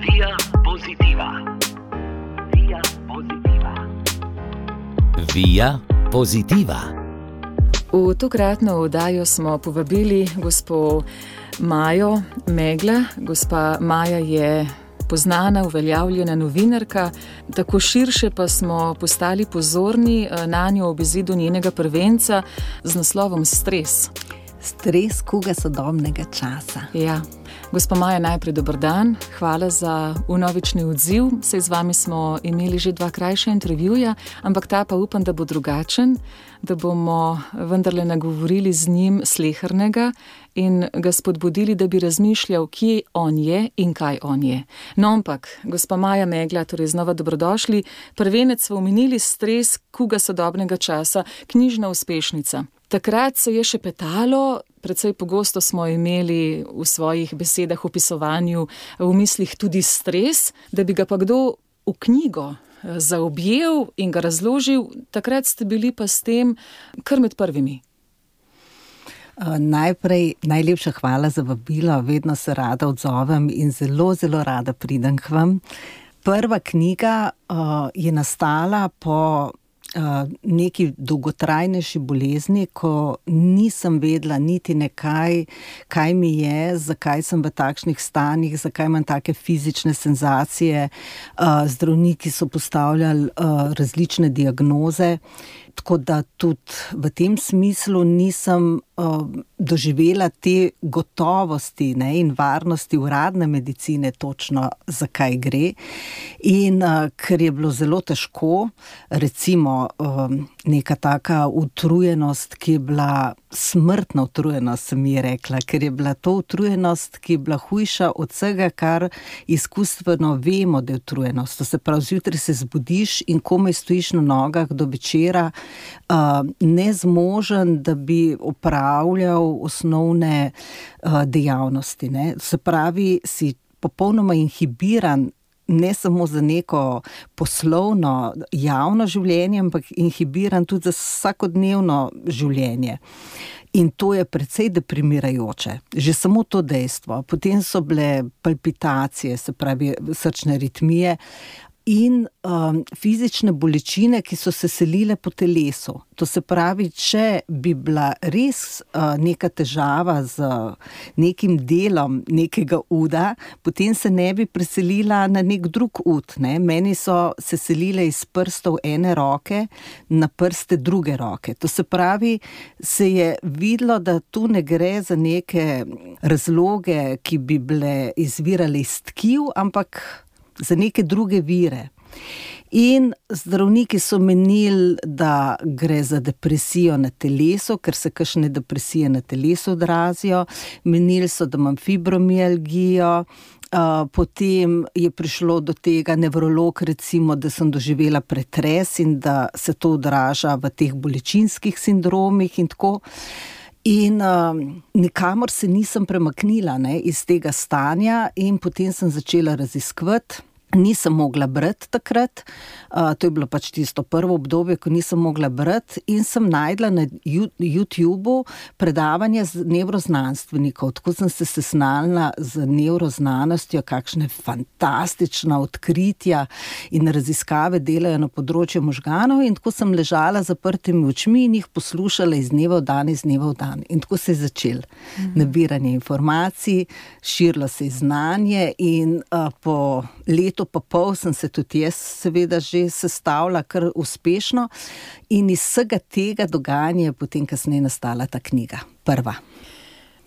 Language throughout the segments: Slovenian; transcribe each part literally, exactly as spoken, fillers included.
Via Positiva. Via Positiva. Via Positiva. V tokratno oddajo smo povabili gospo Majo Megla. Gospa Maja je poznana, uveljavljena novinarka, tako širše pa smo postali pozorni na njo ob izidu njenega prvenca z naslovom Stres. Stres kuga sodobnega časa. Ja. Gospa Maja, najprej dober dan, hvala za vnovični odziv. Saj z vami smo imeli že dva krajša intervjuja, ampak ta pa upam, da bo drugačen, da bomo vendarle nagovorili z njim slehernega in ga spodbudili, da bi razmišljal, kje on je in kaj on je. No, ampak, gospa Maja Megla, torej znova dobrodošli. Prvenec smo omenili, Stres kuga sodobnega časa, knjižna uspešnica. Takrat se je še petalo, precej pogosto smo imeli v svojih besedah, opisovanju, v mislih tudi stres, da bi ga pa kdo v knjigo zaobjel in ga razložil. Takrat ste bili pa s tem kar med prvimi. Uh, najprej najlepša hvala za vabilo, vedno se rada odzovem in zelo, zelo rada pridem k vam. Prva knjiga uh, je nastala po Uh, neki dolgotrajnejši bolezni, ko nisem vedela niti nekaj, kaj mi je, zakaj sem v takšnih stanjih, zakaj imam take fizične senzacije. Uh, zdravniki so postavljali uh, različne diagnoze, tako da tudi v tem smislu nisem uh, doživela te gotovosti, ne, in varnosti uradne medicine točno, zakaj gre. In uh, ker je bilo zelo težko, recimo um, neka taka utrujenost, ki je bila smrtna utrujenost, sem ji rekla, ker je bila to utrujenost, ki je bila hujša od vsega, kar izkustveno vemo, da je utrujenost. To se pravi, zjutraj se zbudiš in komaj stojiš na nogah do večera, uh, nezmožen, da bi opravljal osnovne uh, dejavnosti. Ne? Se pravi, si popolnoma inhibiran, ne samo za neko poslovno, javno življenje, ampak inhibiran tudi za vsakodnevno življenje. In to je precej deprimirajoče. Že samo to dejstvo. Potem so bile palpitacije, se pravi srčne aritmije, in um, fizične bolečine, ki so se selile po telesu. To se pravi, če bi bila res uh, neka težava z nekim delom nekega uda, potem se ne bi preselila na nek drug ud. Ne? Meni so se selile iz prstov ene roke na prste druge roke. To se pravi, se je videlo, da tu ne gre za neke razloge, ki bi bile izvirale iz tkiv, ampak za neke druge vire. In zdravniki so menili, da gre za depresijo na telesu, ker se kakšne depresije na telesu odrazijo. Menili so, da imam fibromialgijo. Uh, potem je prišlo do tega nevrolog, recimo, da sem doživela pretres in da se to odraža v teh bolečinskih sindromih in tako. In uh, nikamor se nisem premaknila, ne, iz tega stanja, in potem sem začela raziskovati. Nisem mogla brati takrat, uh, to je bilo pač tisto prvo obdobje, ko nisem mogla brati, in sem najdla na YouTubeu predavanja z nevroznanstvenikov. Tako sem se seznanila z nevroznanostjo, kakšne fantastična odkritja in raziskave delajo na področju možganov, in tako sem ležala z zaprtimi očmi in jih poslušala iz dneva v dan, iz dneva v dan. In tako se je začel mhm. nabiranje informacij, širilo se je znanje, in uh, po letu pa pol sem se tudi jaz seveda že sestavila kar uspešno, in iz vsega tega dogajanja je potem kasneje nastala ta knjiga, prva.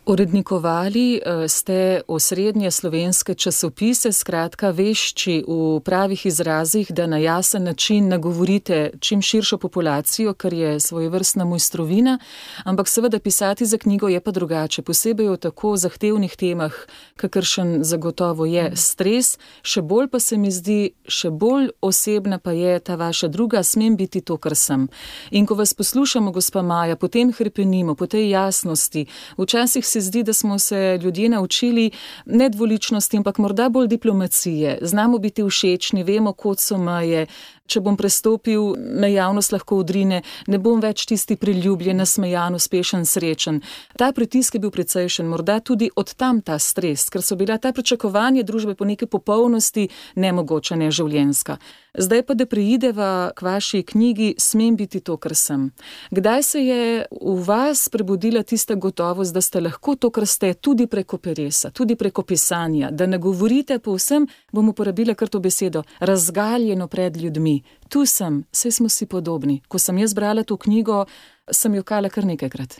Urednikovali ste osrednje slovenske časopise, skratka vešči v pravih izrazih, da na jasen način nagovorite čim širšo populacijo, kar je svojevrstna mojstrovina, ampak seveda pisati za knjigo je pa drugače, posebej o tako zahtevnih temah, kakršen zagotovo je stres, še bolj pa se mi zdi, še bolj osebna pa je ta vaša druga, smem biti to, kar sem. In ko vas poslušamo, gospa Maja, potem hrepenimo, po tej jasnosti, včasih se zdi, da smo se ljudje naučili ne dvoličnosti, ampak morda bolj diplomacije. Znamo biti všečni, vemo, kod so meje. če bom prestopil, me javnost lahko odrine, ne bom več tisti priljubljen, nasmejan, uspešen, srečen. Ta pritisk je bil precejšen, morda tudi od tam ta stres, ker so bila ta pričakovanja družbe po neki popolnosti nemogoča, neživljenjska. Zdaj pa, da preideva k vaši knjigi Smem biti to, kar sem. Kdaj se je v vas prebudila tista gotovost, da ste lahko to, kar ste, tudi preko peresa, tudi preko pisanja, da ne govorite povsem, bom uporabila kar to besedo, razgaljeno pred ljudmi. Tu sem, saj smo si podobni. Ko sem jaz brala to knjigo, sem jokala kar nekajkrat.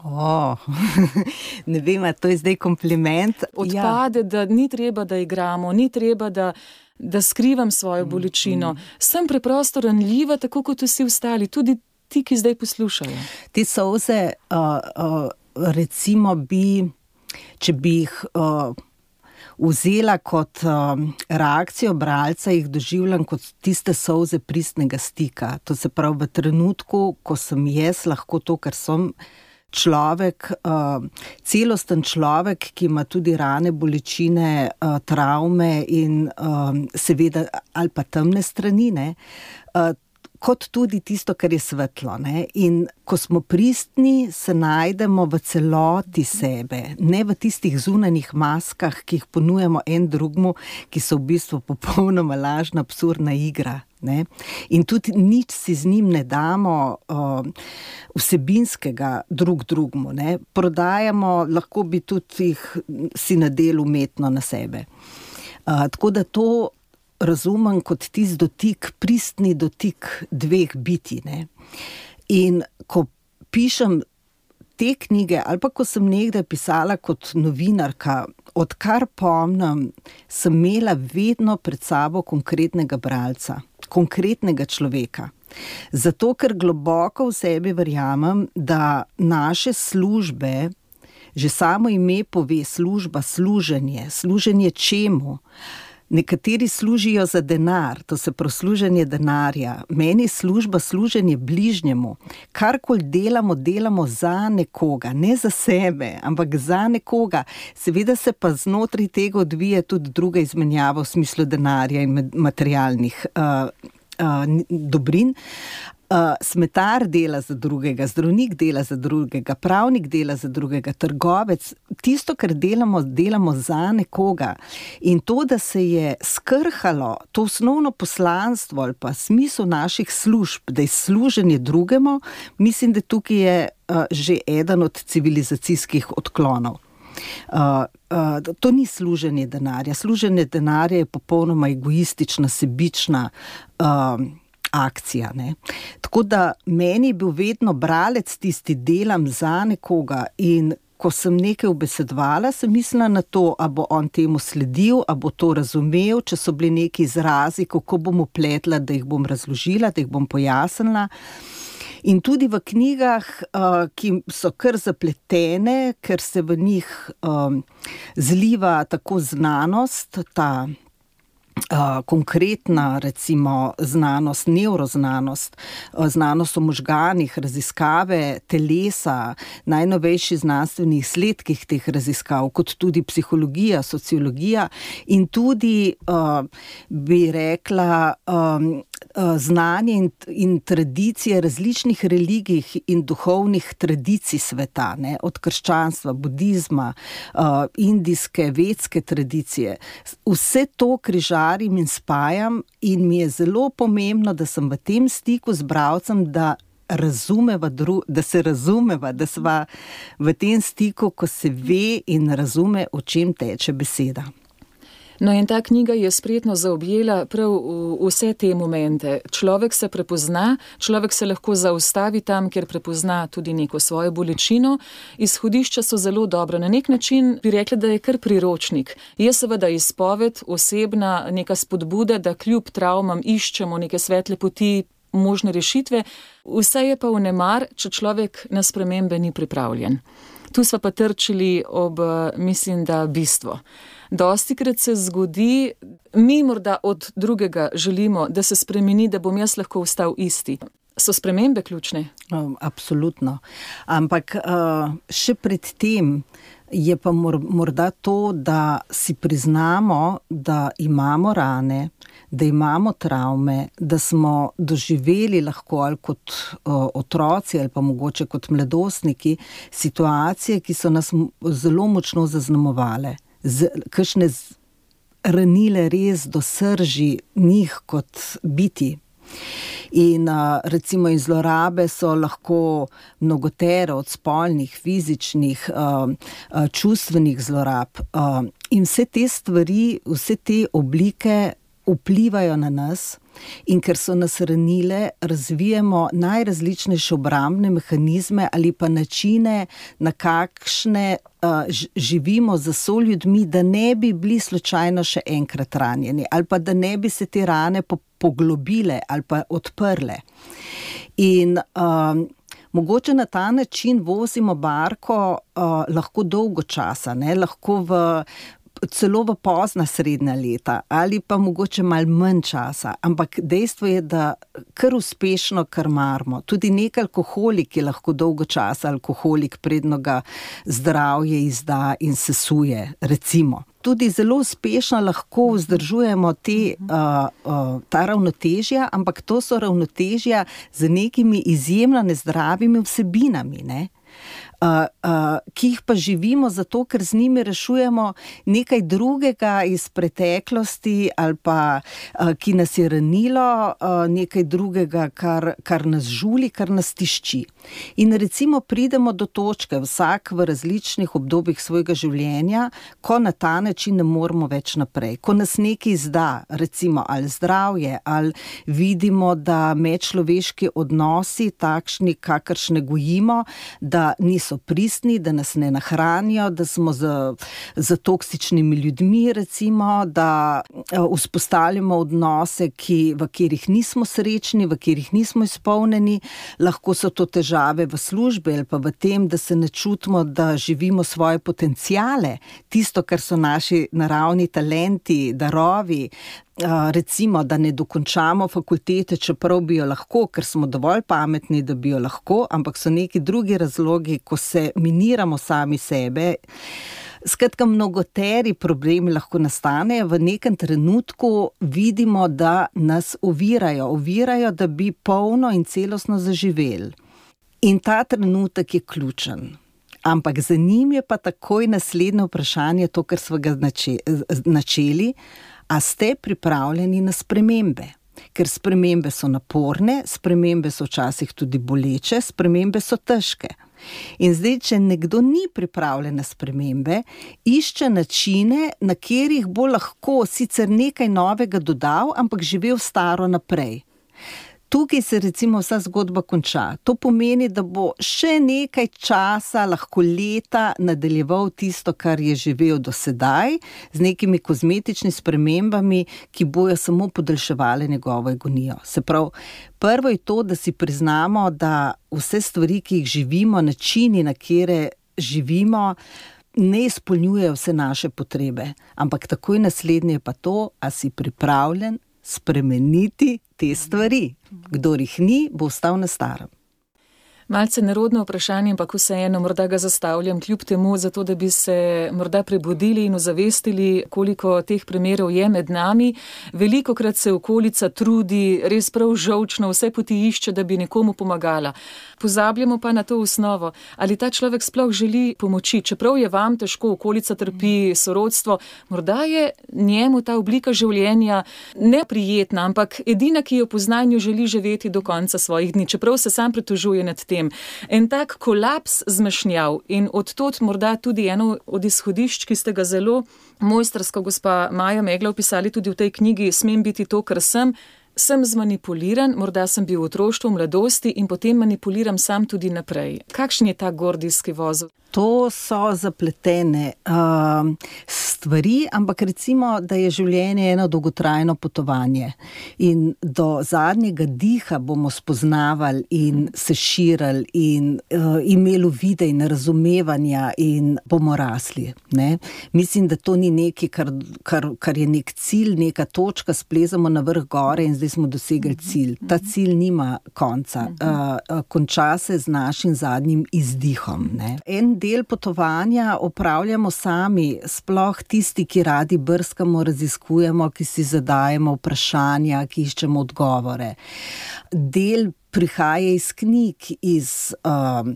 Oh, ne vem, to je zdaj kompliment. Odpade, ja. Da ni treba, da igramo, ni treba, da, da skrivam svojo bolečino. Mm. Sem preprosto ranljiva, tako kot vsi ostali, tudi ti, ki zdaj poslušajo. Te solze, uh, uh, recimo bi, če bi jih uh, vzela kot uh, reakcijo bralca, jih doživljam kot tiste solze pristnega stika. To se pravi v trenutku, ko sem jaz lahko to, kar sem, človek, uh, celosten človek, ki ima tudi rane, bolečine, uh, travme in uh, seveda ali pa temne strani, ne, uh, kot tudi tisto, kar je svetlo. Ne. In ko smo pristni, se najdemo v celoti sebe, ne v tistih zunanjih maskah, ki jih ponujamo en drugmu, ki so v bistvu popolnoma lažna, absurdna igra. Ne? In tudi nič si z njim ne damo uh, vsebinskega drug drugmu. Ne? Prodajamo, lahko bi tudi jih si nadel umetno na sebe. Uh, tako da to razumem kot tisti dotik, pristni dotik dveh biti. Ne? In ko pišem te knjige, ali pa ko sem nekdaj pisala kot novinarka, odkar pomnim, sem imela vedno pred sabo konkretnega bralca, konkretnega človeka. Zato, ker globoko v sebi verjamem, da naše službe, že samo ime pove služba, služenje, služenje čemu? Nekateri služijo za denar, to se pravi služenje denarja. Meni služba, služenje bližnjemu. Karkoli delamo, delamo za nekoga, ne za sebe, ampak za nekoga. Seveda se pa znotraj tega odvija tudi druga izmenjava v smislu denarja in materialnih uh, uh, dobrin. Uh, smetar dela za drugega, zdravnik dela za drugega, pravnik dela za drugega, trgovec. Tisto, kar delamo, delamo za nekoga. In to, da se je skrhalo to osnovno poslanstvo ali pa smisel naših služb, da je služenje drugemu, mislim, da tukaj je uh, že eden od civilizacijskih odklonov. Uh, uh, to ni služenje denarja. Služenje denarja je popolnoma egoistična, sebična uh, akcija. Ne? Tako da meni je bil vedno bralec tisti, delam za nekoga, in ko sem nekaj ubesedvala, sem mislila na to, a bo on temu sledil, a bo to razumel, če so bili neki izrazi, kako bom upletla, da jih bom razložila, da jih bom pojasnila. In tudi v knjigah, uh, ki so kar zapletene, ker se v njih um, zliva tako znanost, ta Uh, konkretna, recimo, znanost, nevroznanost, uh, znanost o možganih, raziskave telesa, najnovejši znanstveni izsledkih teh raziskav, kot tudi psihologija, sociologija in tudi, uh, bi rekla, um, uh, znanje in, in tradicije različnih religij in duhovnih tradicij sveta, ne, od krščanstva, budizma, uh, indijske, vedske tradicije. Vse to križa in spajam, in mi je zelo pomembno, da sem v tem stiku z bralcem, da, razumeva, da se razumeva, da sva v tem stiku, ko se ve in razume, o čem teče beseda. No, in ta knjiga je spretno zaobjela prav vse te momente. Človek se prepozna, človek se lahko zaustavi tam, kjer prepozna tudi neko svojo bolečino. Izhodišča so zelo dobra. Na nek način bi rekla, da je kar priročnik. Je seveda izpoved, osebna neka spodbuda, da kljub travmam iščemo neke svetle poti, možne rešitve. Vse je pa vnemar, če človek na spremembe ni pripravljen. Tu sva pa trčili ob, mislim, da bistvo. Dostikrat se zgodi, mi morda od drugega želimo, da se spremeni, da bom jaz lahko ostal isti. So spremembe ključne? Um, absolutno. Ampak uh, še pred tem je pa mor, morda to, da si priznamo, da imamo rane, da imamo travme, da smo doživeli lahko ali kot uh, otroci ali pa mogoče kot mladostniki situacije, ki so nas zelo močno zaznamovale, z, kakšne ranile res do srži njih kot biti. In recimo in zlorabe so lahko mnogotere, od spolnih, fizičnih, čustvenih zlorab. In vse te stvari, vse te oblike vplivajo na nas, in ker so nas ranile, razvijemo najrazličnejše obrambne mehanizme ali pa načine, na kakšne uh, živimo za soljudmi, da ne bi bili slučajno še enkrat ranjeni ali pa da ne bi se te rane po- poglobile ali pa odprle. In um, mogoče na ta način vozimo barko uh, lahko dolgo časa, ne? Lahko v celo v pozna srednja leta ali pa mogoče malo manj časa, ampak dejstvo je, da kar uspešno krmarimo. Tudi nek alkoholik je lahko dolgo časa alkoholik, predno ga zdravje izda in sesuje, recimo. Tudi zelo uspešno lahko vzdržujemo te, uh, uh, ta ravnotežja, ampak to so ravnotežja z nekimi izjemno nezdravimi vsebinami, ne? Uh, uh, ki jih pa živimo zato, ker z njimi rešujemo nekaj drugega iz preteklosti ali pa uh, ki nas je ranilo, uh, nekaj drugega, kar, kar nas žuli, kar nas tišči. In recimo pridemo do točke, vsak v različnih obdobjih svojega življenja, ko na ta način ne moremo več naprej, ko nas nekaj izda, recimo ali zdravje, ali vidimo, da medčloveški odnosi takšni, kakršne gojimo, da niso pristni, da nas ne nahranijo, da smo z, z toksičnimi ljudmi, recimo, da vzpostavljamo odnose, ki, v katerih nismo srečni, v katerih nismo izpolnjeni. Lahko so to težave v službi ali pa v tem, da se ne čutimo, da živimo svoje potenciale, tisto, kar so naši naravni talenti, darovi. Uh, recimo, da ne dokončamo fakultete, čeprav bi jo lahko, ker smo dovolj pametni, da bi jo lahko, ampak so neki drugi razlogi, ko se miniramo sami sebe. Skratka, mnogoteri problemi lahko nastanejo, v nekem trenutku vidimo, da nas ovirajo, ovirajo, da bi polno in celostno zaživeli. In ta trenutek je ključen. Ampak za njim je pa takoj naslednje vprašanje, to, kar smo ga načeli, a ste pripravljeni na spremembe? Ker spremembe so naporne, spremembe so včasih tudi boleče, spremembe so težke. In zdaj, če nekdo ni pripravljen na spremembe, išče načine, na katerih bo lahko sicer nekaj novega dodal, ampak živel staro naprej. Tukaj se recimo vsa zgodba konča. To pomeni, da bo še nekaj časa, lahko leta, nadaljeval tisto, kar je živel do sedaj, z nekimi kozmetičnimi spremembami, ki bojo samo podaljševale njegovo agonijo. Se pravi, prvo je to, da si priznamo, da vse stvari, ki jih živimo, načini, na katere živimo, ne izpolnjujejo vse naše potrebe. Ampak takoj naslednje je pa to, a si pripravljen spremeniti te stvari. Kdor jih ni, bo ostal na starem. Malce nerodno vprašanje, ampak vseeno morda ga zastavljam kljub temu, zato da bi se morda prebudili in ozavestili, koliko teh primerov je med nami. Velikokrat se okolica trudi, res prav žolčno, vse poti išče, da bi nekomu pomagala. Pozabljamo pa na to osnovo, ali ta človek sploh želi pomoči, čeprav je vam težko, okolica trpi, sorodstvo, morda je njemu ta oblika življenja neprijetna, ampak edina, ki jo pozna in jo želi živeti do konca svojih dni, čeprav se sam pritožuje nad tem. En tak kolaps zmešnjav in odtot morda tudi eno od izhodišč, ki ste ga zelo mojstrsko, gospa Maja Megla, opisali tudi v tej knjigi Smem biti to, kar sem. Sem zmanipuliran, morda sem bil v otroštvu, v mladosti in potem manipuliram sam tudi naprej. Kakšen je ta gordijski vozel? To so zapletene uh, stvari, ampak recimo, da je življenje eno dolgotrajno potovanje in do zadnjega diha bomo spoznavali in se širili in uh, imeli uvide in razumevanja in bomo rasli. Ne? Mislim, da to ni nekaj, kar, kar, kar je nek cilj, neka točka, splezamo na vrh gore in zdaj ali smo dosegli cilj. Ta cilj nima konca. Uh, konča se z našim zadnjim izdihom. Ne. En del potovanja opravljamo sami, sploh tisti, ki radi brskamo, raziskujemo, ki si zadajemo vprašanja, ki iščemo odgovore. Del prihaja iz knjig, iz um,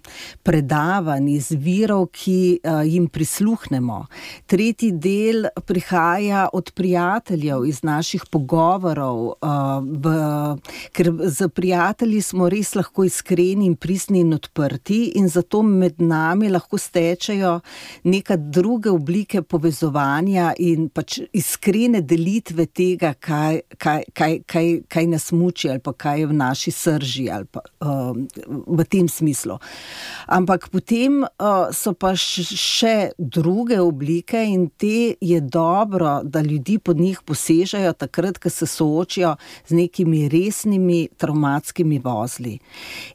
predavanj, iz virov, ki uh, jim prisluhnemo. Tretji del prihaja od prijateljev, iz naših pogovorov, uh, v, ker z prijatelji smo res lahko iskreni in pristni in odprti in zato med nami lahko stečejo neka druge oblike povezovanja in pač iskrene delitve tega, kaj, kaj, kaj, kaj, kaj nas muči ali pa kaj je v naši srži. Ali pa, uh, v tem smislu. Ampak potem uh, so pa še druge oblike in te je dobro, da ljudi pod njih posežejo takrat, ko se soočijo z nekimi resnimi travmatskimi vozli.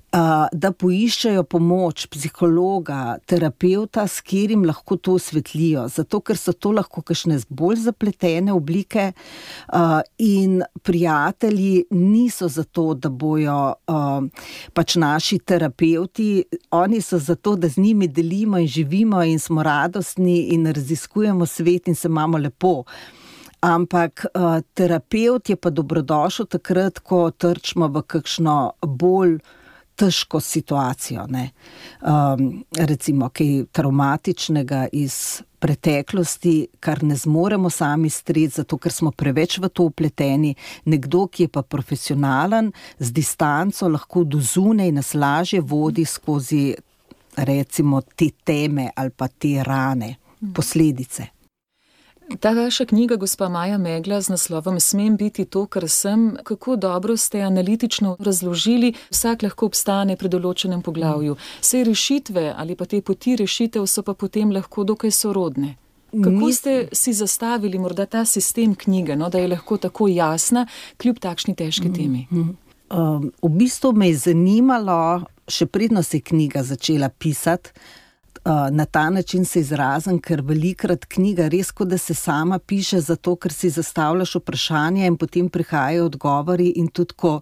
Uh, da poiščejo pomoč psihologa, terapeuta, s katerim lahko to osvetlijo, zato ker so to lahko kakšne bolj zapletene oblike uh, in prijatelji niso zato, da bojo uh, pač naši terapeuti, oni so zato, da z njimi delimo in živimo in smo radostni in raziskujemo svet in se imamo lepo. Ampak uh, terapeut je pa dobrodošel takrat, ko trčimo v kakšno bolj težko situacijo, ne. Um, recimo kaj traumatičnega iz preteklosti, kar ne zmoremo sami streti, zato ker smo preveč v to upleteni. Nekdo, ki je pa profesionalen, z distanco lahko do zunaj nas lažje vodi skozi recimo te teme ali pa te rane, posledice. Ta vaša knjiga, gospa Maja Megla, z naslovom Smem biti to, kar sem, kako dobro ste analitično razložili, vsak lahko obstane pri določenem poglavju. Saj rešitve ali pa te poti rešitev so pa potem lahko dokaj sorodne. Kako ste si zastavili morda ta sistem knjige, no, da je lahko tako jasna, kljub takšni težki temi? Um, v bistvu me je zanimalo, še predno se je knjiga začela pisati, na ta način se izrazim, ker velikrat knjiga res kot da se sama piše, zato ker si zastavljaš vprašanja in potem prihajajo odgovori in tudi ko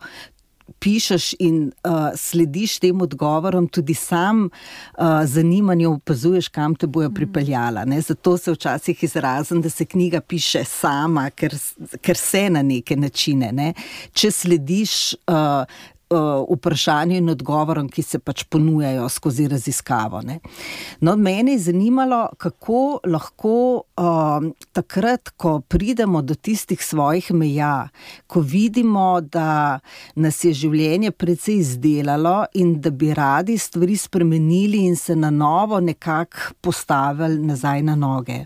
pišeš in uh, slediš tem odgovorom, tudi sam uh, zanimanju opazuješ, kam te bojo pripeljala. Ne? Zato se včasih izrazim, da se knjiga piše sama, ker, ker se na neke načine. Ne? Če slediš uh, vprašanju in odgovorom, ki se pač ponujajo skozi raziskavo. Ne. No, mene je zanimalo, kako lahko uh, takrat, ko pridemo do tistih svojih meja, ko vidimo, da nas je življenje precej izdelalo in da bi radi stvari spremenili in se na novo nekako postavili nazaj na noge.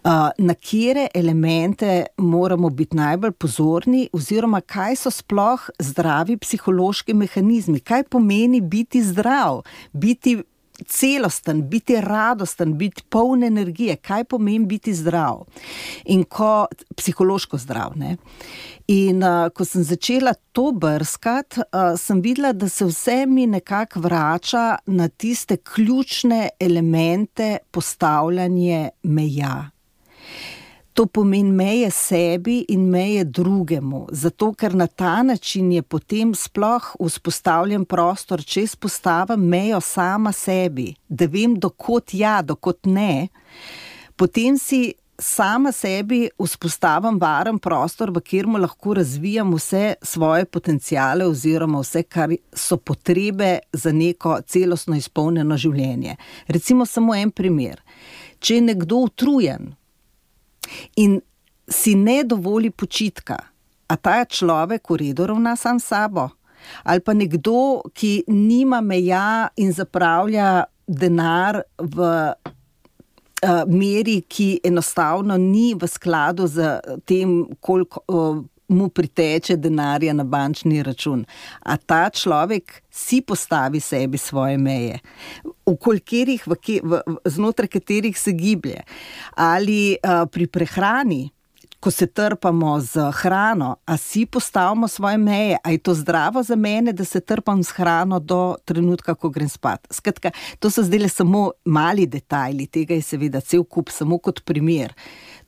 Uh, na katere elemente moramo biti najbolj pozorni oziroma kaj so sploh zdravi psihološki mehanizmi, kaj pomeni biti zdrav, biti celosten, biti radosten, biti poln energije, kaj pomeni biti zdrav in ko, psihološko zdrav, ne. In uh, ko sem začela to brskati, uh, sem videla, da se vse mi nekako vrača na tiste ključne elemente postavljanja meja. To pomeni meje sebi in meje drugemu, zato ker na ta način je potem sploh vzpostavljen prostor, če spostavim mejo sama sebi, da vem, dokot ja, dokot ne, potem si sama sebi vzpostavim varen prostor, v katerem lahko razvijam vse svoje potenciale oziroma vse, kar so potrebe za neko celostno izpolnjeno življenje. Recimo samo en primer. Če je nekdo utrujen in si ne dovoli počitka, a ta človek v redu ravna sam sabo? Ali pa nekdo, ki nima meja in zapravlja denar v uh, meri, ki enostavno ni v skladu z tem, koliko uh, mu priteče denarja na bančni račun. A ta človek si postavi sebi svoje meje, v kolikih, v, v, znotraj katerih se giblje. Ali uh, pri prehrani, ko se trpamo z hrano, a si postavimo svoje meje, a je to zdravo za mene, da se trpam z hrano do trenutka, ko grem spat. Skratka, to so zdaj samo mali detajli, tega je seveda cel kup, samo kot primer.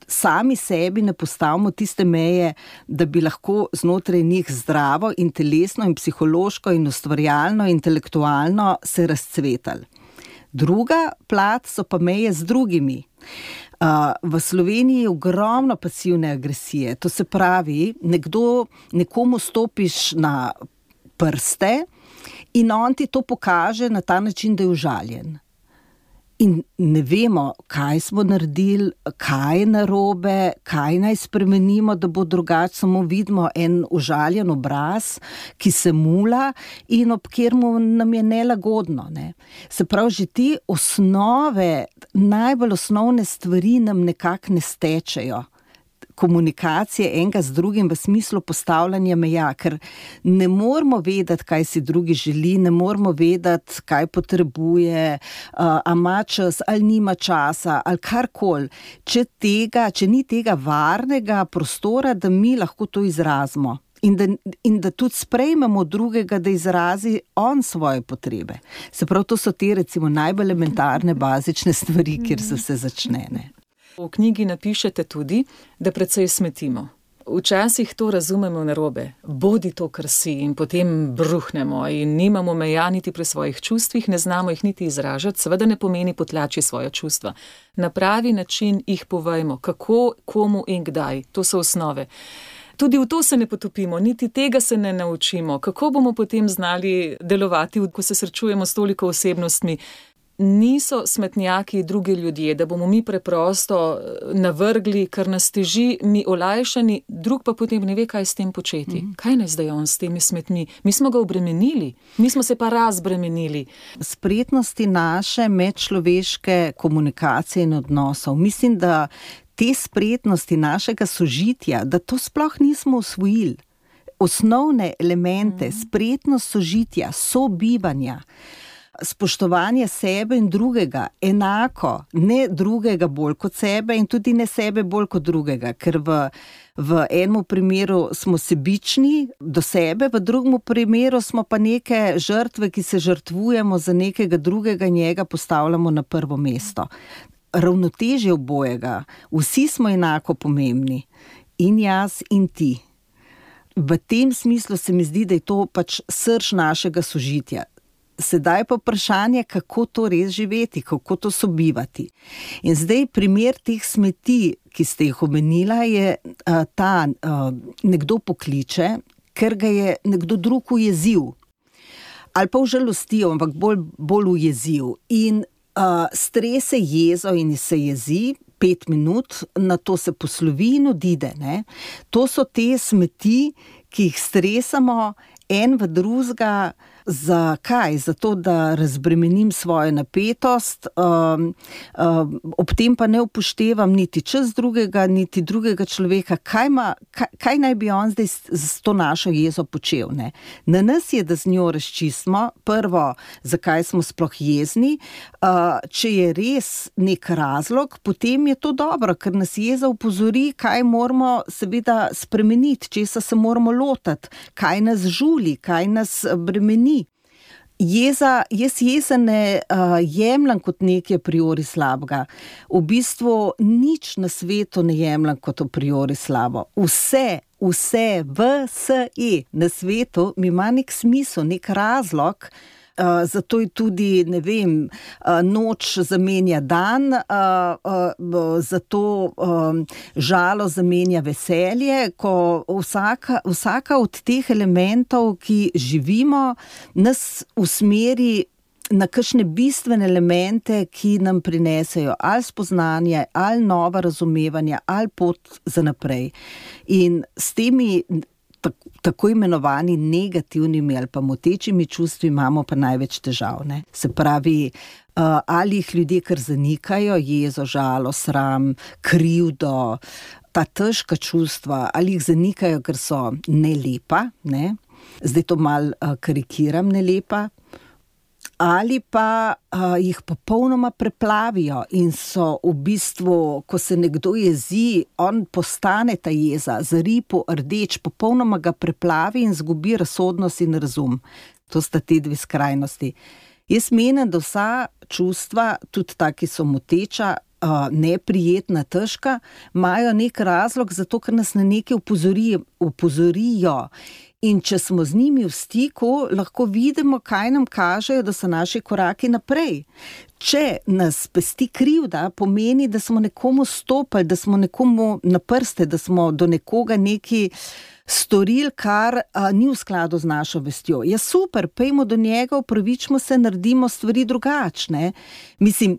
sami sebi ne postavimo tiste meje, da bi lahko znotraj njih zdravo in telesno in psihološko in ustvarjalno, intelektualno se razcvetali. Druga plat so pa meje z drugimi. V Sloveniji je ogromno pasivne agresije. To se pravi, nekdo, nekomu stopiš na prste in on ti to pokaže na ta način, da je užaljen. In ne vemo, kaj smo naredili, kaj je narobe, kaj naj spremenimo, da bo drugače, samo vidimo en užaljen obraz, ki se mula in ob kateremu nam je nelagodno. Ne? Se pravi, že te osnove, najbolj osnovne stvari nam nekako ne stečejo. Komunikacije enega z drugim v smislu postavljanja meja, ker ne moramo vedeti, kaj si drugi želi, ne moramo vedeti, kaj potrebuje, a ima čas ali nima časa ali karkoli. Če tega, če ni tega varnega prostora, da mi lahko to izrazimo in da, in da tudi sprejmemo drugega, da izrazi on svoje potrebe. Se pravi, to so te recimo najbolj elementarne, bazične stvari, kjer se vse začne. Ne? V knjigi napišete tudi, da precej smetimo. Včasih to razumemo narobe. Bodi to, kar si, in potem bruhnemo in nimamo meja niti pri svojih čustvih, ne znamo jih niti izražati, seveda ne pomeni potlači svoja čustva. Na pravi način jih povejmo, kako, komu in kdaj. To so osnove. Tudi v to se ne potopimo, niti tega se ne naučimo. Kako bomo potem znali delovati, ko se srečujemo s toliko osebnostmi? Niso smetnjaki drugi ljudje, da bomo mi preprosto navrgli, kar nas teži, mi olajšani, drug pa potem ne ve, kaj s tem početi. Mm. Kaj naj zdaj on s temi smetmi? Mi smo ga obremenili, mi smo se pa razbremenili. Spretnosti naše medčloveške komunikacije in odnosov, mislim, da te spretnosti našega sožitja, da to sploh nismo osvojili. Osnovne elemente, mm. spretnost sožitja, sobivanja, spoštovanje sebe in drugega, enako, ne drugega bolj kot sebe in tudi ne sebe bolj kot drugega, ker v, v enem primeru smo sebični do sebe, v drugem primeru smo pa neke žrtve, ki se žrtvujemo za nekega drugega, njega postavljamo na prvo mesto. Ravnotežje obojega, vsi smo enako pomembni, in jaz in ti. V tem smislu se mi zdi, da je to pač srž našega sožitja. Sedaj pa vprašanje, kako to res živeti, kako to sobivati. In zdaj primer teh smeti, ki ste jih omenila, je a, ta, a, nekdo pokliče, ker ga je nekdo drug ujezil. Ali pa užalostil, ampak bolj, bolj ujezil. In a, strese jezo in se jezi pet minut, na to se poslovi in odide. Ne? To so te smeti, ki jih stresamo en v drugega. Zakaj? Zato, da razbremenim svojo napetost, um, um, ob tem pa ne upoštevam niti čas drugega, niti drugega človeka. Kaj, ma, kaj, kaj naj bi on zdaj s to našo jezo počel? Ne? Na nas je, da z njo razčistimo, prvo, zakaj smo sploh jezni. Uh, če je res nek razlog, potem je to dobro, ker nas jeza upozori, kaj moramo seveda spremeniti, česa se moramo lotati, kaj nas žuli, kaj nas bremeni. Jeza, jaz jeza ne uh, jemljam kot nekaj a priori slabega. V bistvu nič na svetu ne jemljam kot a priori slabo. Vse, vse, vse na svetu mi ima nek smisel, nek razlog. Uh, zato je tudi, ne vem, uh, noč zamenja dan, uh, uh, zato um, žalost zamenja veselje, ko vsaka, vsaka od teh elementov, ki živimo, nas usmeri na kakšne bistvene elemente, ki nam prinesejo ali spoznanje, ali nova razumevanja, ali pot za naprej. In s temi tako imenovani negativnimi ali pa motečimi čustvi imamo pa največ težav. Ne? Se pravi, ali jih ljudje kar zanikajo, jezo, žalost, sram, krivdo, ta težka čustva, ali jih zanikajo, ker so nelepa, ne? Zdaj to malo karikiram, nelepa, ali pa uh, jih popolnoma preplavijo in so v bistvu, ko se nekdo jezi, on postane ta jeza, zaripo, rdeč, popolnoma ga preplavi in zgubi razsodnost in razum. To sta te dve skrajnosti. Jaz menim, da vsa čustva, tudi ta, ki so moteča, uh, neprijetna, težka, imajo nek razlog, zato ker nas na nekaj upozori, upozorijo. In če smo z njimi v stiku, lahko vidimo, kaj nam kažejo, da so naši koraki naprej. Če nas pesti krivda, pomeni, da smo nekomu stopili, da smo nekomu na prste, da smo do nekoga neki storili, kar a, ni v skladu z našo vestjo. Ja, super, pejmo do njega, opravičimo se, naredimo stvari drugačne. Mislim,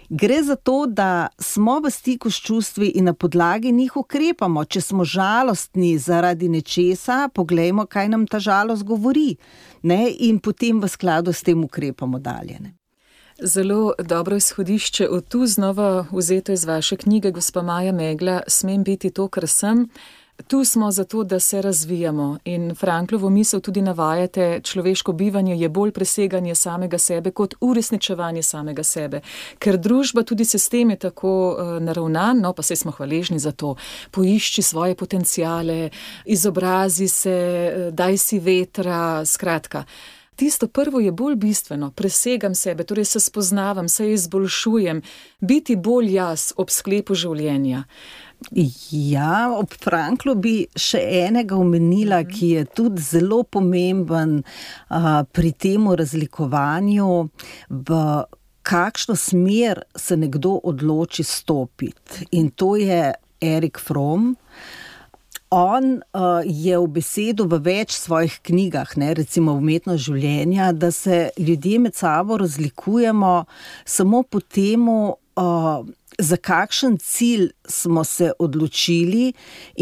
gre za to, da smo v stiku s čustvi in na podlagi njih ukrepamo. Če smo žalostni zaradi nečesa, poglejmo, kaj nam ta žalost govori, ne? In potem v skladu s tem ukrepamo dalje. Ne? Zelo dobro izhodišče od tu znova vzeto iz vaše knjige, gospa Maja Megla, Smem biti to, kar sem. Tu smo zato, da se razvijamo in Franklovo misel tudi navajate, človeško bivanje je bolj preseganje samega sebe kot uresničevanje samega sebe. Ker družba, tudi sistem je tako uh, naravnan, no pa saj smo hvaležni za to. Poišči svoje potenciale, izobrazi se, daj si vetra, skratka. Tisto prvo je bolj bistveno, presegam sebe, torej se spoznavam, se izboljšujem, biti bolj jaz ob sklepu življenja. Ja, ob Franklu bi še enega omenila, mm-hmm. ki je tudi zelo pomemben uh, pri temu razlikovanju, v kakšno smer se nekdo odloči stopiti. In to je Erik Fromm. On uh, je v besedu v več svojih knjigah, ne, recimo Umetnost življenja, da se ljudje med sabo razlikujemo samo po temu, uh, za kakšen cilj smo se odločili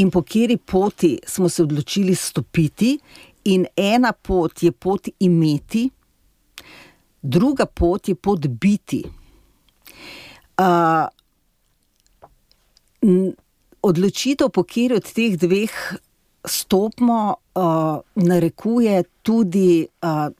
in po kateri poti smo se odločili stopiti. In ena pot je pot imeti, druga pot je pot biti. Uh, Odločitev, po kateri od teh dveh stopimo, uh, narekuje tudi uh,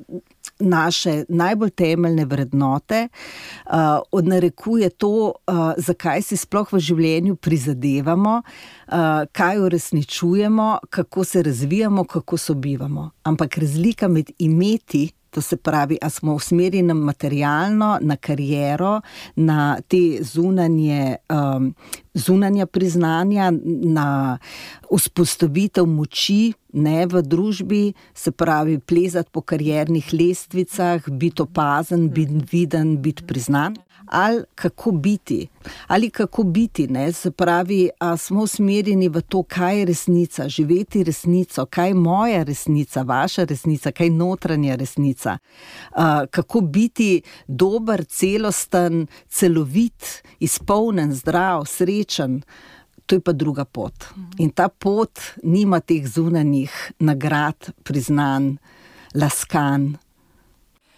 naše najbolj temeljne vrednote, uh, odnarekuje to, uh, zakaj si sploh v življenju prizadevamo, uh, kaj uresničujemo, kako se razvijamo, kako sobivamo. Ampak razlika med imeti, to se pravi, a smo usmerjeni na materialno, na kariero, na te zunanje, um, zunanja priznanja, na vzpostavitev moči, ne, v družbi, se pravi, plezati po kariernih lestvicah, biti opazen, biti viden, biti priznan. Ali kako biti, ali kako biti, ne, se pravi, a smo usmerjeni v to, kaj je resnica, živeti resnico, kaj je moja resnica, vaša resnica, kaj je notranja resnica, a, kako biti dober, celosten, celovit, izpolnen, zdrav, srečen, to je pa druga pot. In ta pot nima teh zunanjih nagrad, priznanj, laskanj.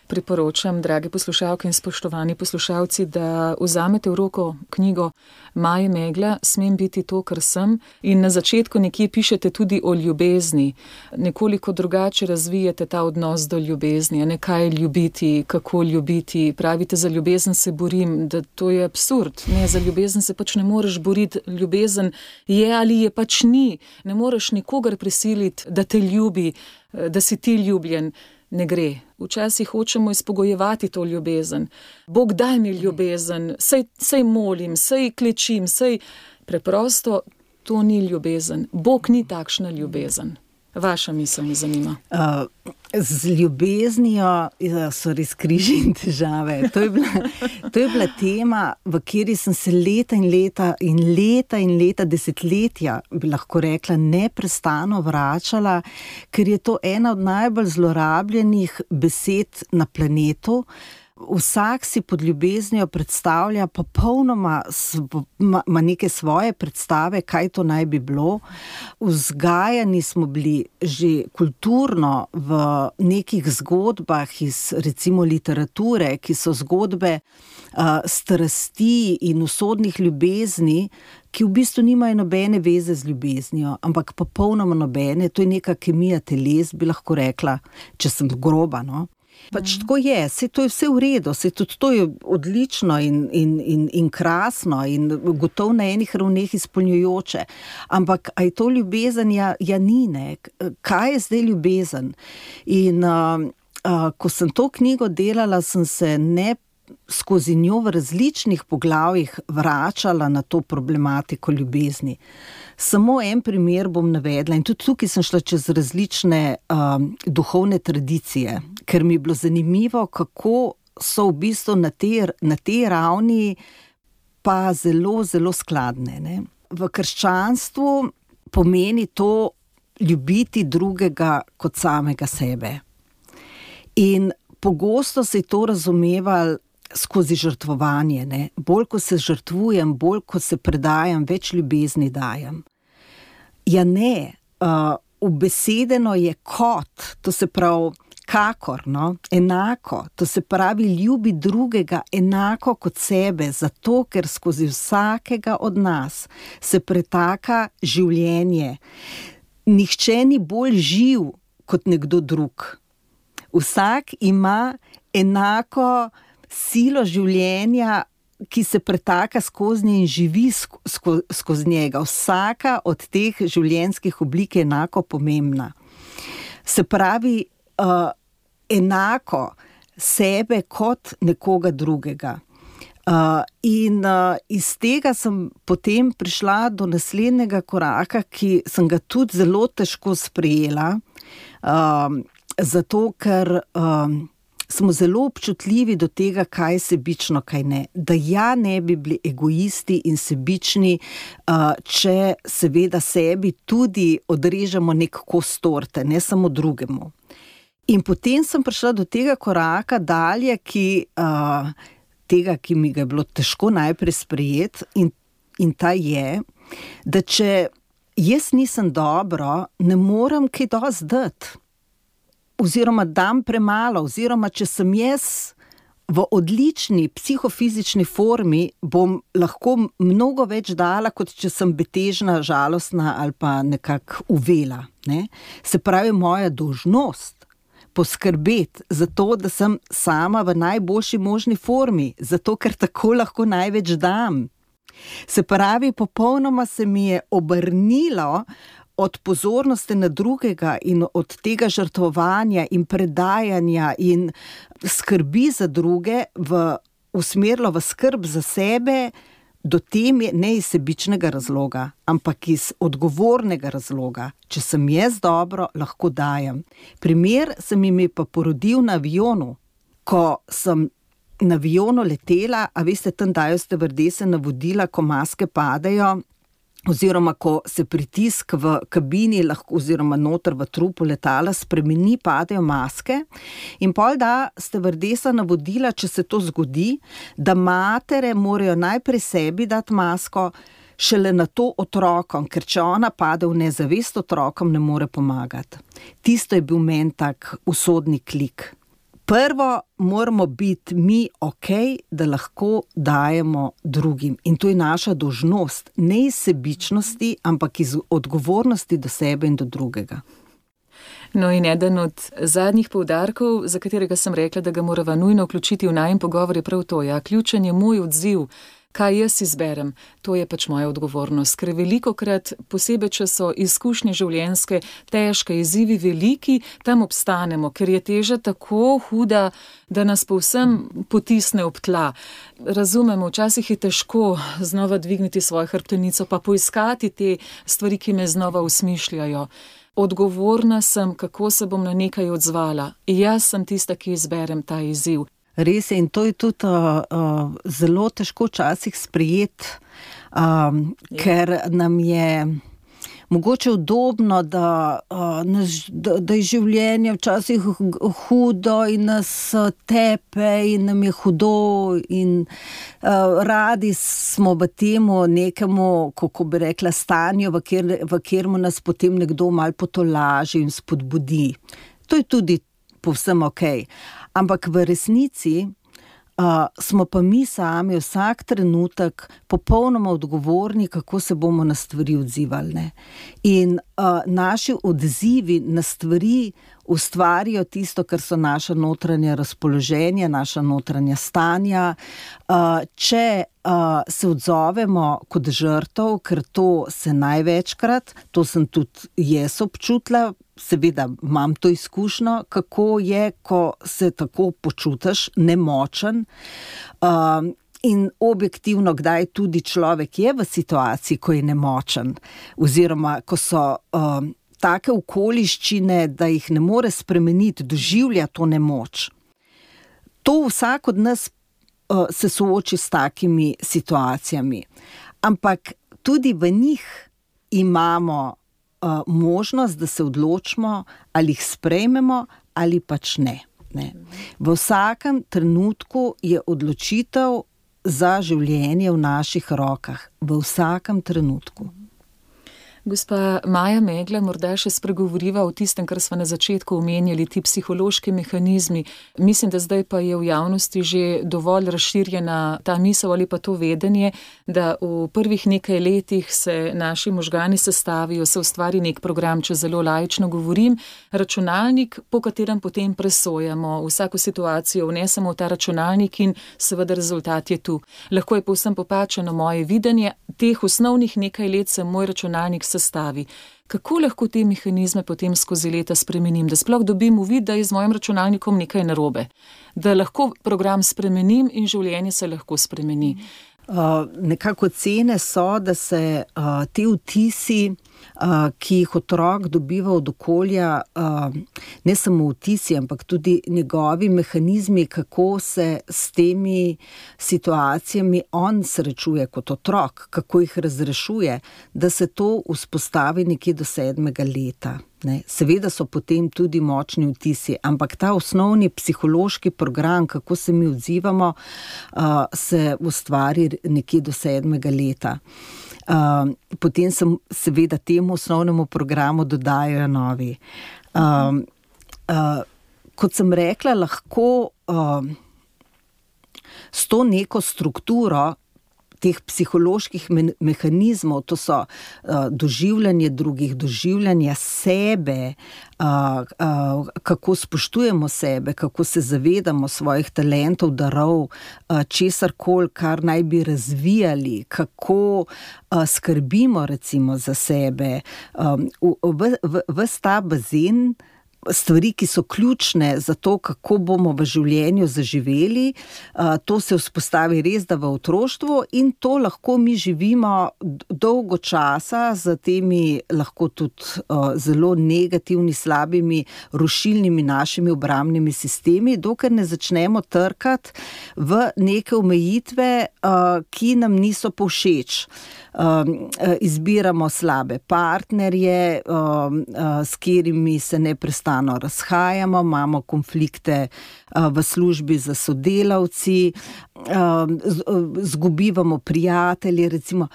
Priporočam, drage poslušalke in spoštovani poslušalci, da vzamete v roko knjigo Maje Megla, Smem biti to, kar sem, in na začetku nekje pišete tudi o ljubezni. Nekoliko drugače razvijete ta odnos do ljubezni, ne, kaj ljubiti, kako ljubiti. Pravite, za ljubezen se borim, da to je absurd. Ne, za ljubezen se pač ne moreš boriti, ljubezen je ali je pač ni. Ne moreš nikogar prisiliti, da te ljubi, da si ti ljubljen. Ne gre. Včasih hočemo izpogojevati to ljubezen. Bog, daj mi ljubezen, sej, sej molim, sej klečim, sej... Preprosto to ni ljubezen. Bog ni takšna ljubezen. Vaša misel me zanima. Uh, z ljubeznijo so res križi in težave. To je bila, to je bila tema, v kateri sem se leta in leta in leta in leta, desetletja, bi lahko rekla, neprestano vračala, ker je to ena od najbolj zlorabljenih besed na planetu. Vsak si pod ljubeznijo predstavlja popolnoma ima neke svoje predstave, kaj to naj bi bilo. Vzgajani smo bili že kulturno v nekih zgodbah iz recimo literature, ki so zgodbe uh, strasti in usodnih ljubezni, ki v bistvu nimajo nobene veze z ljubeznijo, ampak popolnoma nobene. To je neka kemija teles, bi lahko rekla, če sem groba, no. Pač tako je, saj to je vse v redu, saj tudi to je odlično in, in, in, in krasno in gotovo na enih ravneh izpolnjujoče. Ampak a je to ljubezen? Ja, ja ni, ne. Kaj je zdaj ljubezen? In uh, uh, ko sem to knjigo delala, sem se ne skozi njo v različnih poglavjih vračala na to problematiko ljubezni. Samo en primer bom navedla in tudi tukaj sem šla čez različne um, duhovne tradicije, ker mi je bilo zanimivo, kako so v bistvu na tej, na tej ravni pa zelo, zelo skladne. Ne? V krščanstvu pomeni to ljubiti drugega kot samega sebe. In pogosto se je to razumevalo skozi žrtvovanje. Ne? Bolj, ko se žrtvujem, bolj, ko se predajam, več ljubezni dajem. Ja ne, uh, ubesedeno je kot, to se pravi kakor, no? Enako, to se pravi ljubi drugega enako kot sebe, zato ker skozi vsakega od nas se pretaka življenje. Nihče ni bolj živ kot nekdo drug. Vsak ima enako silo življenja, ki se pretaka skozi nje in živi sko, skozi njega. Vsaka od teh življenjskih oblik je enako pomembna. Se pravi, uh, enako sebe kot nekoga drugega. Uh, in uh, iz tega sem potem prišla do naslednjega koraka, ki sem ga tudi zelo težko sprejela, uh, zato ker uh, smo zelo občutljivi do tega, kaj je sebično, kaj ne. Da ja ne bi bili egoisti in sebični, uh, če seveda sebi tudi odrežemo nek kos torte, ne samo drugemu. In potem sem prišla do tega koraka dalje, ki, uh, tega, ki mi ga je bilo težko najprej sprejeti, in, in ta je, da če jaz nisem dobro, ne morem kaj dosti dati. Oziroma dam premalo, oziroma če sem jaz v odlični psihofizični formi, bom lahko mnogo več dala, kot če sem betežna, žalostna ali pa nekako uvela. Ne? Se pravi, moja dolžnost poskrbeti za to, da sem sama v najboljši možni formi, zato ker tako lahko največ dam. Se pravi, popolnoma se mi je obrnilo od pozornosti na drugega in od tega žrtvovanja in predajanja in skrbi za druge v, usmerilo v skrb za sebe, do tem je ne iz sebičnega razloga, ampak iz odgovornega razloga. Če sem jaz dobro, lahko dajem. Primer se mi je pa porodil na avionu. Ko sem na avionu letela, a veste, tam dajo stevardese navodila, ko maske padejo, oziroma ko se pritisk v kabini lahko, oziroma noter v trupu letala spremeni, padejo maske, in pol da stevardesa navodila, če se to zgodi, da matere morajo najprej sebi dati masko, šele na to otrokom, ker če ona pade v nezavest, otrokom ne more pomagati. Tisto je bil meni tak usodni klik. Prvo moramo biti mi okej, da lahko dajemo drugim. In to je naša dolžnost, ne iz sebičnosti, ampak iz odgovornosti do sebe in do drugega. No in eden od zadnjih poudarkov, za katerega sem rekla, da ga morava nujno vključiti v najin pogovor, je prav to. Ja, ključen je moj odziv. Kaj jaz izberem, to je pač moja odgovornost, ker velikokrat, posebej, če so izkušnje življenjske težke, izzivi veliki, tam obstanemo, ker je teža tako huda, da nas povsem potisne ob tla. Razumemo, včasih je težko znova dvigniti svojo hrbtenico, pa poiskati te stvari, ki me znova usmišljajo. Odgovorna sem, kako se bom na nekaj odzvala. Jaz sem tista, ki izberem ta izziv. Res je, in to je tudi uh, uh, zelo težko včasih sprejeti, um, ker nam je mogoče udobno, da, uh, nas, da, da je življenje včasih hudo in nas tepe in nam je hudo in uh, radi smo v temu nekemu, kako bi rekla, stanju, v, kjer, v kjermu nas potem nekdo malo potolaži in spodbudi. To je tudi povsem okej. Ampak v resnici uh, smo pa mi sami vsak trenutek popolnoma odgovorni, kako se bomo na stvari odzivali. Ne? In uh, naši odzivi na stvari ustvarijo tisto, kar so naša notranja razpoloženja, naša notranja stanja. Uh, če uh, se odzovemo kot žrtev, ker to se največkrat, to sem tudi jaz občutila, seveda imam to izkušnjo, kako je, ko se tako počutiš nemočen, uh, in objektivno, kdaj tudi človek je v situaciji, ko je nemočen, oziroma ko so uh, take okoliščine, da jih ne more spremeniti, doživlja to nemoč. To vsak od nas uh, se sooči s takimi situacijami. Ampak tudi v njih imamo uh, možnost, da se odločimo, ali jih sprejmemo, ali pač ne. ne. V vsakem trenutku je odločitev za življenje v naših rokah. V vsakem trenutku. Gospa Maja Megla, morda še spregovoriva o tistem, kar smo na začetku omenjali, ti psihološki mehanizmi. Mislim, da zdaj pa je v javnosti že dovolj razširjena ta misel ali pa to vedenje, da v prvih nekaj letih se naši možgani sestavijo, se ustvari nek program, če zelo laično govorim, računalnik, po katerem potem presojamo vsako situacijo, vnesemo v ta računalnik in seveda rezultat je tu. Lahko je povsem popačeno moje videnje, teh osnovnih nekaj let se moj računalnik sestavi. Kako lahko te mehanizme potem skozi leta spremenim, da sploh dobim uvid, da je z mojim računalnikom nekaj narobe, da lahko program spremenim in življenje se lahko spremeni? Uh, nekako cene so, da se uh, te vtisi, uh, ki jih otrok dobiva od okolja, uh, ne samo vtisi, ampak tudi njegovi mehanizmi, kako se s temi situacijami on srečuje kot otrok, kako jih razrešuje, da se to vzpostavi nekje do sedmega leta. Ne. Seveda so potem tudi močni vtisi, ampak ta osnovni psihološki program, kako se mi odzivamo, uh, se ustvari nekje do sedmega leta. Uh, potem se seveda temu osnovnemu programu dodajajo novi. Uh, uh, kot sem rekla, lahko uh, s to neko strukturo teh psiholoških me- mehanizmov, to so uh, doživljanje drugih, doživljanje sebe, uh, uh, kako spoštujemo sebe, kako se zavedamo svojih talentov, darov, uh, česarkoli, kar naj bi razvijali, kako uh, skrbimo recimo za sebe. Um, v, v, v, ves ta bazen stvari, ki so ključne za to, kako bomo v življenju zaživeli, to se vzpostavi res da v otroštvu in to lahko mi živimo dolgo časa z temi lahko tudi zelo negativni, slabimi, rušilnimi našimi obrambnimi sistemi, dokler ne začnemo trkati v neke omejitve, ki nam niso povšeč. Izbiramo slabe partnerje, s katerimi se neprestano razhajamo, imamo konflikte v službi za sodelavci, zgubivamo prijatelje, recimo.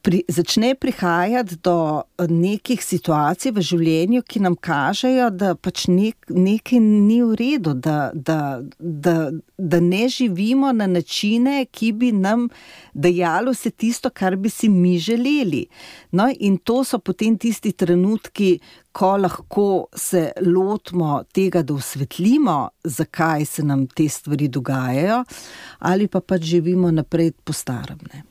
Pri, začne prihajati do nekih situacij v življenju, ki nam kažejo, da pač nek, nekaj ni v redu, da, da, da, da ne živimo na načine, ki bi nam dajalo se tisto, kar bi si mi želeli. No, in to so potem tisti trenutki, ko lahko se lotimo tega, da osvetlimo, zakaj se nam te stvari dogajajo, ali pa pač živimo naprej po starem, ne.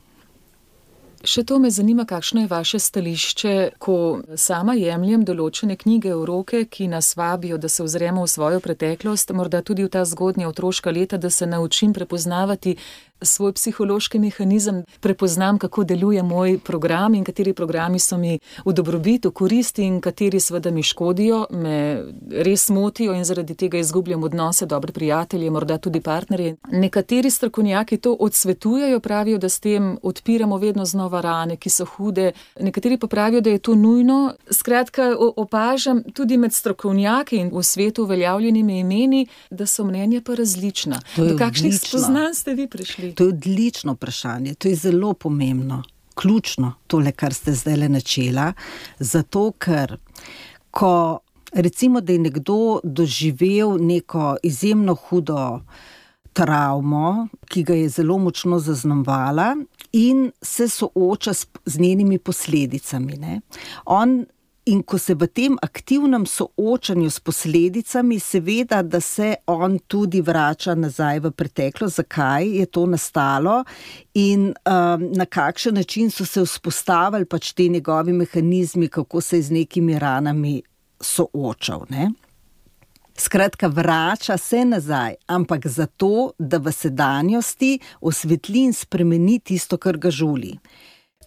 Še to me zanima, kakšno je vaše stališče, ko sama jemljem določene knjige v roke, ki nas vabijo, da se ozremo v svojo preteklost, morda tudi v ta zgodnja otroška leta, da se naučim prepoznavati svoj psihološki mehanizem, prepoznam, kako deluje moj program in kateri programi so mi v dobrobit, v korist in kateri seveda mi škodijo, me res motijo in zaradi tega izgubljam odnose, dobre prijatelje, morda tudi partnerje. Nekateri strokovnjaki to odsvetujejo, pravijo, da s tem odpiramo vedno znova rane, ki so hude. Nekateri pa pravijo, da je to nujno. Skratka, opažam tudi med strokovnjaki in v svetu uveljavljenimi imeni, da so mnenja pa različna. Do kakšnih spoznanj ste vi prišli? To je odlično vprašanje, to je zelo pomembno, ključno tole, kar ste zdajle načela, zato ker, ko recimo, da je nekdo doživel neko izjemno hudo travmo, ki ga je zelo močno zaznamovala in se sooča s, z njenimi posledicami, ne. On In ko se v tem aktivnem soočanju s posledicami, seveda, da se on tudi vrača nazaj v preteklost, zakaj je to nastalo in um, na kakšen način so se vzpostavili pač te njegovi mehanizmi, kako se je z nekimi ranami soočal, ne. Skratka, vrača se nazaj, ampak zato, da v sedanjosti osvetli in spremeni tisto, kar ga žuli.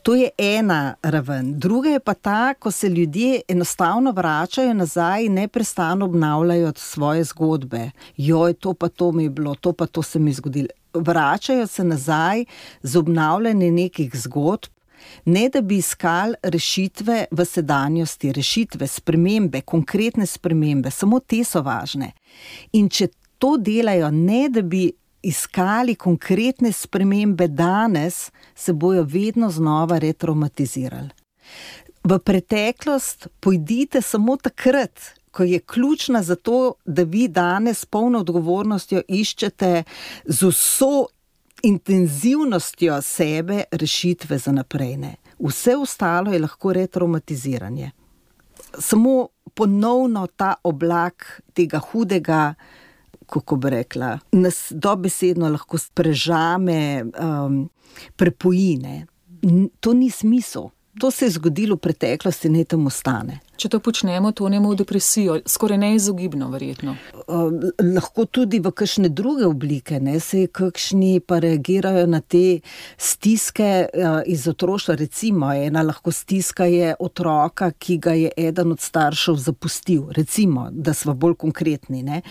To je ena raven. Druga je pa ta, ko se ljudje enostavno vračajo nazaj in neprestano obnavljajo svoje zgodbe. Joj, to pa to mi je bilo, to pa to se mi je zgodilo. Vračajo se nazaj z obnavljanjem nekih zgodb, ne da bi iskali rešitve v sedanjosti, rešitve, spremembe, konkretne spremembe, samo te so važne. In če to delajo, ne da bi iskali konkretne spremembe danes, se bojo vedno znova retraumatizirali. V preteklost pojdite samo takrat, ko je ključna za to, da vi danes polno odgovornostjo iščete z vso intenzivnostjo sebe rešitve za naprej. Ne. Vse ostalo je lahko retraumatiziranje. Samo ponovno ta oblak tega hudega, kako bi rekla, nas dobesedno lahko prežame, um, prepojine. To ni smisel. To se je zgodilo v preteklosti, ne tam ostane. Če to počnemo, tonemo v depresijo, skoraj neizogibno verjetno. Uh, lahko tudi v kakšne druge oblike, ne, se kakšni pa reagirajo na te stiske uh, iz otroštva. Recimo, ena lahko stiska je otroka, ki ga je eden od staršev zapustil. Recimo, da smo bolj konkretni. Ne.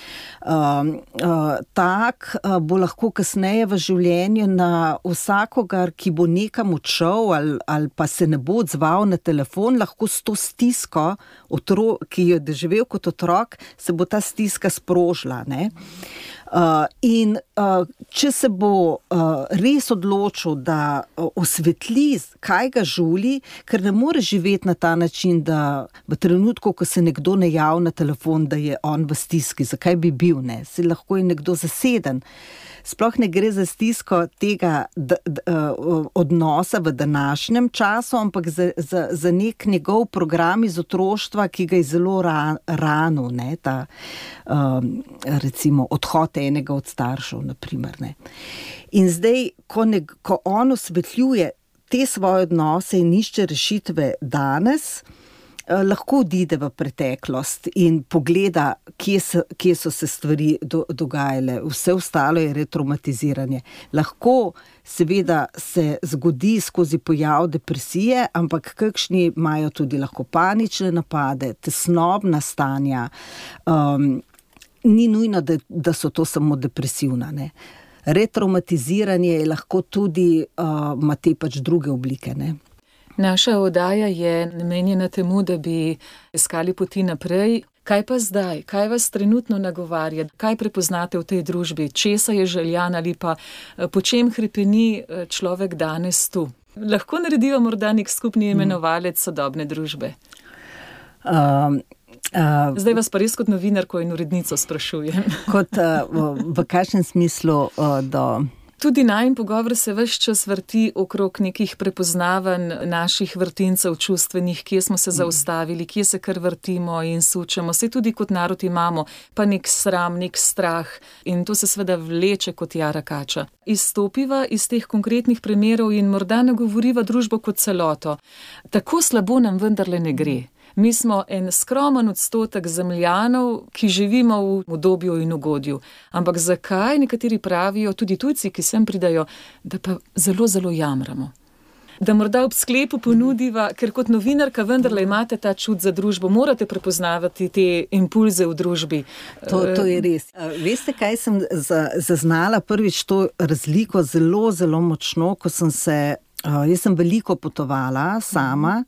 Uh, uh, tak uh, bo lahko kasneje v življenju na vsakogar, ki bo nekam odšel ali, ali pa se ne bo odzval na telefon, lahko s to stisko, Otro, ki jo je doživel kot otrok, se bo ta stiska sprožila. Ne? Uh, in uh, če se bo uh, res odločil, da uh, osvetli, kaj ga žuli, ker ne more živeti na ta način, da v trenutku, ko se nekdo ne javi na telefon, da je on v stiski, zakaj bi bil, ne? Se lahko je nekdo zaseden. Sploh ne gre za stisko tega d, d, uh, odnosa v današnjem času, ampak za, za, za nek njegov program iz otroštva, ki ga je zelo ran, ranil, ne, ta um, recimo odhod enega od staršev, naprimer, ne. In zdaj, ko, ne, ko on osvetljuje te svoje odnose in išče rešitve danes, lahko odide v preteklost in pogleda, kje so, kje so se stvari do, dogajale. Vse ostalo je retraumatiziranje. Lahko seveda se zgodi skozi pojav depresije, ampak kakšni imajo tudi lahko panične napade, tesnobna stanja. Um, ni nujno, da, da so to samo depresivna, ne. Retraumatiziranje je lahko tudi, uh, ima te pač druge oblike, ne. Naša oddaja je namenjena temu, da bi iskali poti naprej. Kaj pa zdaj? Kaj vas trenutno nagovarja? Kaj prepoznate v tej družbi? Česa je željan ali pa po čem hrepeni človek danes tu? Lahko narediva morda nek skupni imenovalec sodobne družbe? Um, uh, zdaj vas pa res kot novinarko in urednico sprašujem. Kot uh, v, v kakšnem smislu uh, do... Tudi najin pogovor se ves čas vrti okrog nekih prepoznavanj naših vrtincev čustvenih, kje smo se zaustavili, kje se kar vrtimo in sučemo. Saj tudi kot narod imamo pa nek sram, nek strah in to se seveda vleče kot jara kača. Izstopiva iz teh konkretnih primerov in morda nagovoriva družbo kot celoto. Tako slabo nam vendarle ne gre. Mi smo en skromen odstotek zemljanov, ki živimo v udobju in ugodju. Ampak zakaj nekateri pravijo, tudi tujci, ki sem pridajo, da pa zelo, zelo jamramo? Da morda ob sklepu ponudiva, ker kot novinarka vendarle imate ta čut za družbo, morate prepoznavati te impulze v družbi. To, to je res. Veste, kaj sem zaznala prvič to razliko zelo, zelo močno, ko sem se Uh, jaz sem veliko potovala sama,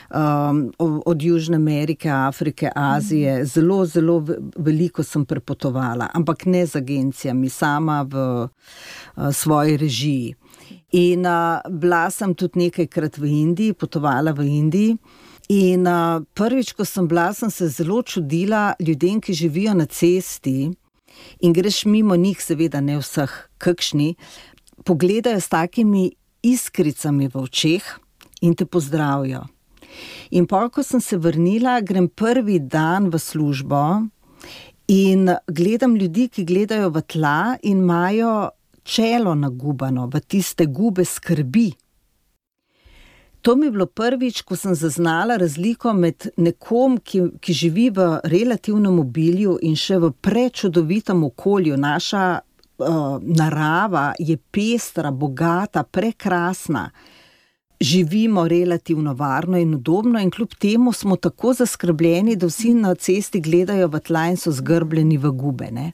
um, od Južne Amerike, Afrike, Azije, zelo, zelo veliko sem prepotovala, ampak ne z agencijami, sama v uh, svoji režiji. In uh, bila sem tudi nekajkrat v Indiji, potovala v Indiji. In uh, prvič, ko sem bila, sem se zelo čudila ljudem, ki živijo na cesti in greš mimo njih, seveda ne vseh, kakšni, pogledajo s takimi iskricami v očeh in te pozdravijo. In pa, ko sem se vrnila, grem prvi dan v službo in gledam ljudi, ki gledajo v tla in imajo čelo nagubano, v tiste gube skrbi. To mi je bilo prvič, ko sem zaznala razliko med nekom, ki, ki živi v relativnem obilju in še v prečudovitem okolju. Naša uh, narava je pestra, bogata, prekrasna. Živimo relativno varno in udobno in kljub temu smo tako zaskrbljeni, da vsi na cesti gledajo v tla in so zgrbljeni v gube, ne.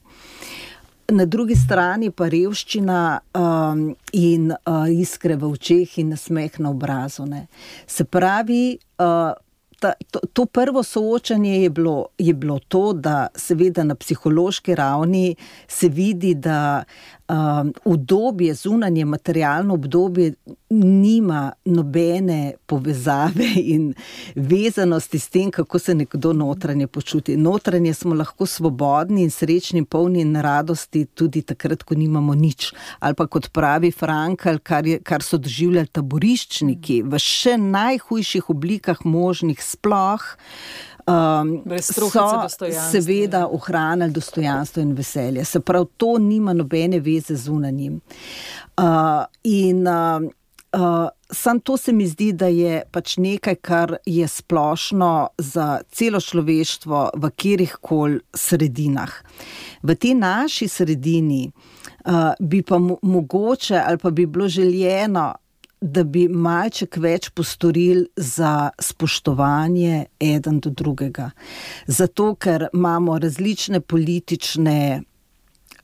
Na drugi strani pa revščina um, in uh, iskre v očeh in nasmeh na obrazu, ne. Se pravi, uh, ta, to, to prvo soočanje je bilo, je bilo to, da seveda na psihološki ravni se vidi, da um, obdobje, zunanje materialno obdobje nima nobene povezave in vezanosti s tem, kako se nekdo notranje počuti. Notranje smo lahko svobodni in srečni, polni in radosti tudi takrat, ko nimamo nič. Ali pa kot pravi Frankl, kar, je, kar so doživljali taboriščniki v še najhujših oblikah možnih sploh, um, so seveda ohranili dostojanstvo in veselje. Se pravi, to nima nobene veze z zunanjim. Uh, in uh, Uh, sam to se mi zdi, da je pač nekaj, kar je splošno za celo človeštvo v katerihkoli sredinah. V tej naši sredini uh, bi pa mo- mogoče ali pa bi bilo željeno, da bi malček več postorili za spoštovanje eden do drugega. Zato, ker imamo različne politične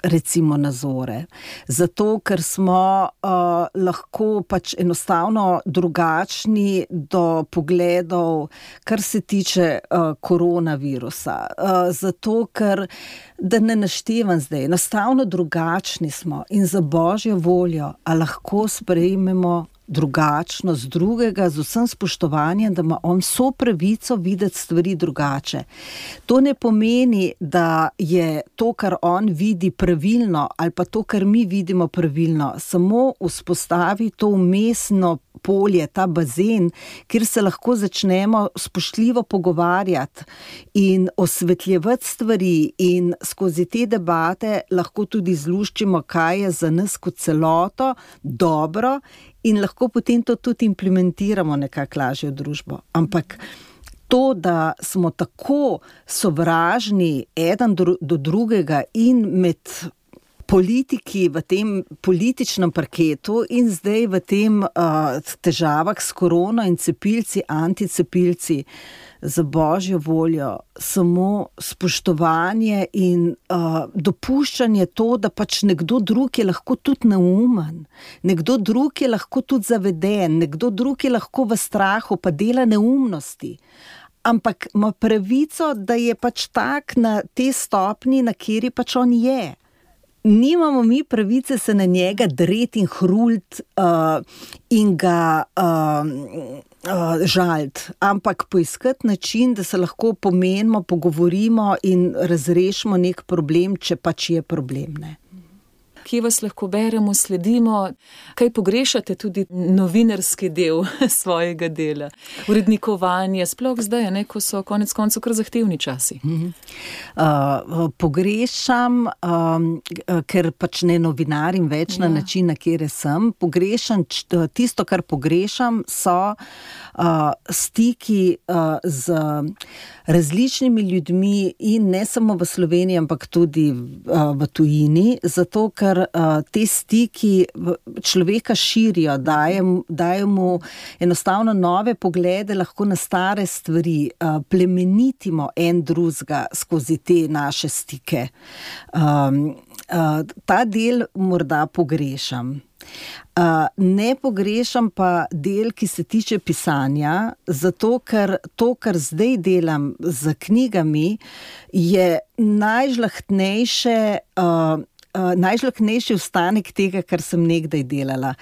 recimo nazore. Zato, ker smo uh, lahko pač enostavno drugačni do pogledov, kar se tiče uh, koronavirusa. Uh, zato, ker, da ne naštevam zdaj, enostavno drugačni smo in za Božjo voljo, a lahko sprejmemo drugačnost drugega z vsem spoštovanjem, da ima on vso pravico videti stvari drugače. To ne pomeni, da je to, kar on vidi, pravilno ali pa to, kar mi vidimo, pravilno. Samo vzpostavi to vmesno polje, ta bazen, kjer se lahko začnemo spoštljivo pogovarjati in osvetljevati stvari in skozi te debate lahko tudi zluščimo, kaj je za nas kot celoto dobro in lahko potem to tudi implementiramo nekako lažje v družbo. Ampak to, da smo tako sovražni eden do, do drugega in med politiki v tem političnem parketu in zdaj v tem uh, težavah s korono in cepilci, anticepilci, za Božjo voljo, samo spoštovanje in uh, dopuščanje to, da pač nekdo drug je lahko tudi neumen, nekdo drug je lahko tudi zaveden, nekdo drug je lahko v strahu, pa dela neumnosti. Ampak ima pravico, da je pač tak na te stopni, na kjeri pač on je. Nimamo mi pravice se na njega dreti in hrult uh, in ga uh, uh, žaliti, ampak poiskati način, da se lahko pomenimo, pogovorimo in razrešimo nek problem, če pač je problem, ne. Kje vas lahko beremo, sledimo, kaj pogrešate tudi novinarski del svojega dela, urednikovanje, sploh zdaj, ne, ko so konec koncev kar zahtevni časi. Mm-hmm. Uh, pogrešam, um, ker pač ne novinarim več ja. Na način, na kjer sem, pogrešam, tisto, kar pogrešam, so uh, stiki uh, z različnimi ljudmi in ne samo v Sloveniji, ampak tudi uh, v tujini, zato, ker Uh, te stiki človeka širijo, daje, daje mu enostavno nove poglede lahko na stare stvari, uh, plemenitimo en drugega skozi te naše stike. Um, uh, ta del morda pogrešam. Uh, ne pogrešam pa del, ki se tiče pisanja, zato ker to, kar zdaj delam z knjigami, je najžlahtnejše uh, Uh, najžlahtnejši ostanek tega, kar sem nekdaj delala.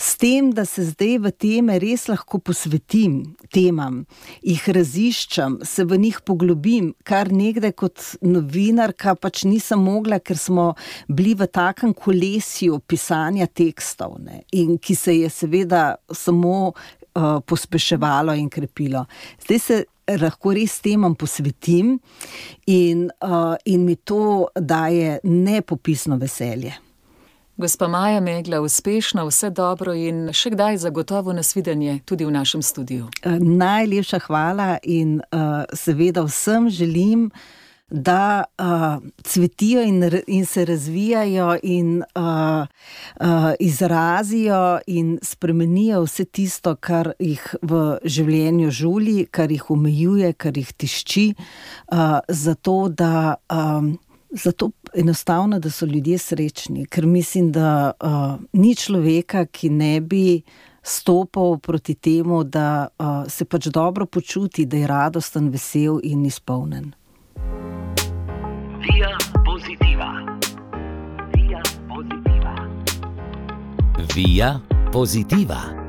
S tem, da se zdaj v teme res lahko posvetim temam, jih raziščam, se v njih poglobim, kar nekdaj kot novinarka pač nisem mogla, ker smo bili v takem kolesju pisanja tekstov, ne, in ki se je seveda samo uh, pospeševalo in krepilo. Zdaj se lahko res temam posvetim in, uh, in mi to daje nepopisno veselje. Gospa Maja Megla, uspešno, vse dobro in še kdaj zagotovo nasvidenje tudi v našem studiu. Najlepša hvala in uh, seveda vsem želim, da uh, cvetijo in, in se razvijajo in uh, uh, izrazijo in spremenijo vse tisto, kar jih v življenju žuli, kar jih omejuje, kar jih tišči, uh, zato da um, Zato enostavno, da so ljudje srečni, ker mislim, da uh, ni človeka, ki ne bi stopal proti temu, da uh, se pač dobro počuti, da je radosten, vesel in izpolnen. Via Positiva. Via Positiva. Via Positiva.